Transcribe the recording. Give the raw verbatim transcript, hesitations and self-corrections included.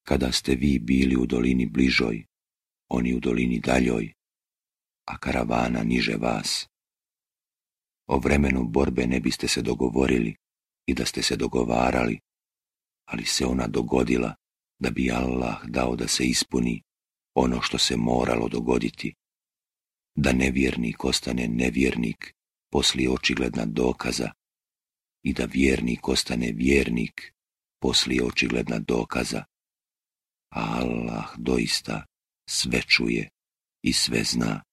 kada ste vi bili u dolini bližoj, oni u dolini daljoj, a karavana niže vas. O vremenu borbe ne biste se dogovorili i da ste se dogovarali, ali se ona dogodila da bi Allah dao da se ispuni ono što se moralo dogoditi, da nevjernik ostane nevjernik poslije očigledna dokaza i da vjernik ostane vjernik poslije očigledna dokaza, a Allah doista sve čuje i sve zna.